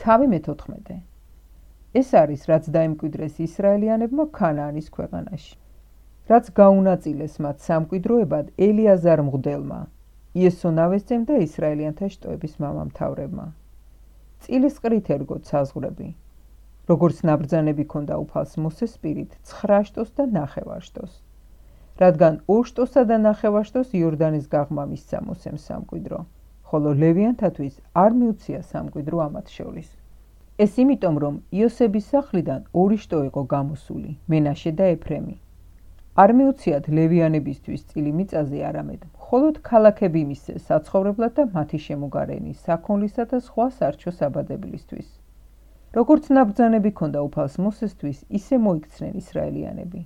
თავი მე-14. ეს არის, რაც დაიმკვიდრეს ისრაელიანებმა ქანაანის ქვეყანაში. რაც გაუნაწილეს მათ სამკვიდროებად ელიაზარ მღვდელმა, იესო ნავესწემ და ისრაელიანთა შტოების მამამთავრებმა. წილის ყრით ერგოთ საზღვრები, როგორც ნაბრძანები ქონდა უფალს მოსეს პირით 9 შტოს და 9 შტოს. რადგან 2 შტოსა და 9 შტოს იორდანის გაღმა მისცა მოსემ სამკვიდრო, ხოლო ლევიანთათვის არ მიუცია სამკვიდრო ამათ შორის. ეს იმიტომ, რომ იოსების სახლიდან 2 შტო იყო გამოსული, მენაშე და ეფრემი. არ მიუციათ ლევიანებისთვის წილი მიწაზე არამედ, მხოლოდ ქალაქები მისცეს საცხოვრებლად და მათი შემოგარენი, საქონლისა და სხვა სარჩო საბადებლისთვის. როგორც ნაბრძანები ქონდა უფალს მოსესთვის, ისე მოიქცნენ ისრაელიანები.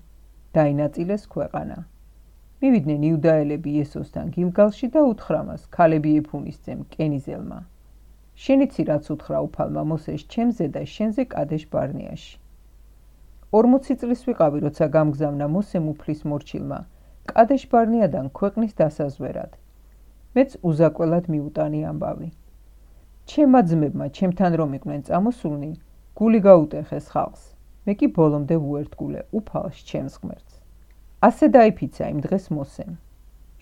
დაინაწილეს ქვეყანა. მივიდნენ იუდაელები იესოსთან გილგალში და უთხრა მას ქალები ეფუნისძემ კენიზელმა. შენიცი რაც უთხრა უფალმა მოსეს ჩემზე და შენზე კადეშ ბარნეაში. 40 წლის ვიყავი, როცა გამგზავნა მოსემ უფლის მორჩილმა კადეშ ბარნეადან ქვეყნის დასაზვერად. მეც უზაკველად მიუტანი ამბავი. ჩემმა ძმებმა ჩემთან რომ იყვნენ წამოსულნი, გული გაუტეხეს ხალხს. მე კი ბოლომდე ვუერთგულე უფალს ჩემს ღმერთს. ასე დაიფიცა იმ დღეს მოსემ.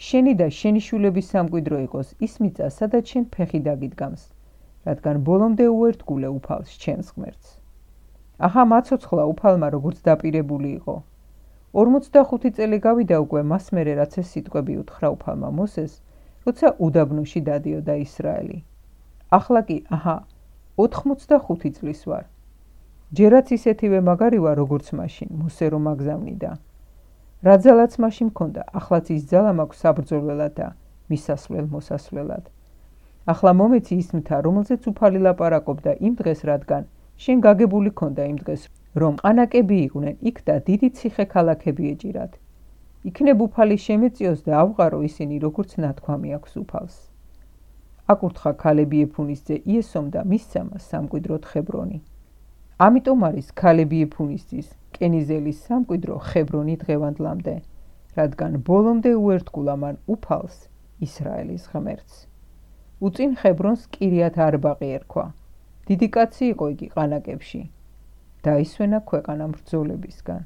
შენი და შენი შვილების სამკვიდრო იყოს ის მიწა, სადაც შენ ფეხი დაგიდგამს, რადგან ბოლომდე უერთგულე უფალს ჩემს ღმერთს. ახა მაცოცხლა უფალმა როგორც დაპირებული იყო. 45 წელი გავიდა უკვე მას მერე რაც ეს სიტყვები უთხრა უფალმა მოსეს, როცა უდაბნოში დადიოდა ისრაელი. ახლა კი აჰა 85 წლის ვარ. ჯერაც ისეთივე მაგარი ვარ როგორც მაშინ, მოსე რომ აგზავნიდა. რა ძალაც მაშინ მქონდა, ახლაც ის ძალა მაქვს საბრძოლველად და მისასვლელ მოსასვლელად. ახლა მომეცი ის მთა, რომელზეც უფალი ლაპარაკობდა იმ დღეს, რადგან შენ გაგებული ქონდა იმ დღეს, რომ ყანაკები იყვნენ იქ და დიდი ციხე ქალაქები ეჭირათ. იქნებ უფალი შემეწიოს და ავყარო ისინი, როგორც ნათქვამი აქვს უფალს. აკურთხა ქალები ეფუნისძე იესომ და მისცა მას სამკვიდროდ ხებრონი. ამიტომ არის ქალები ეფუნისძის კენიზელის სამკვიდრო ხებრონი დღევანდლამდე, რადგან ბოლომდე უერთგულა მან უფალს ისრაელის ღმერთს. უწინ ხებრონს კირიათ არბაყი ერქვა. დიდი კაცი იყო იგი ყანაკებში. დაისვენა ქვეყანა მბრძოლებისგან.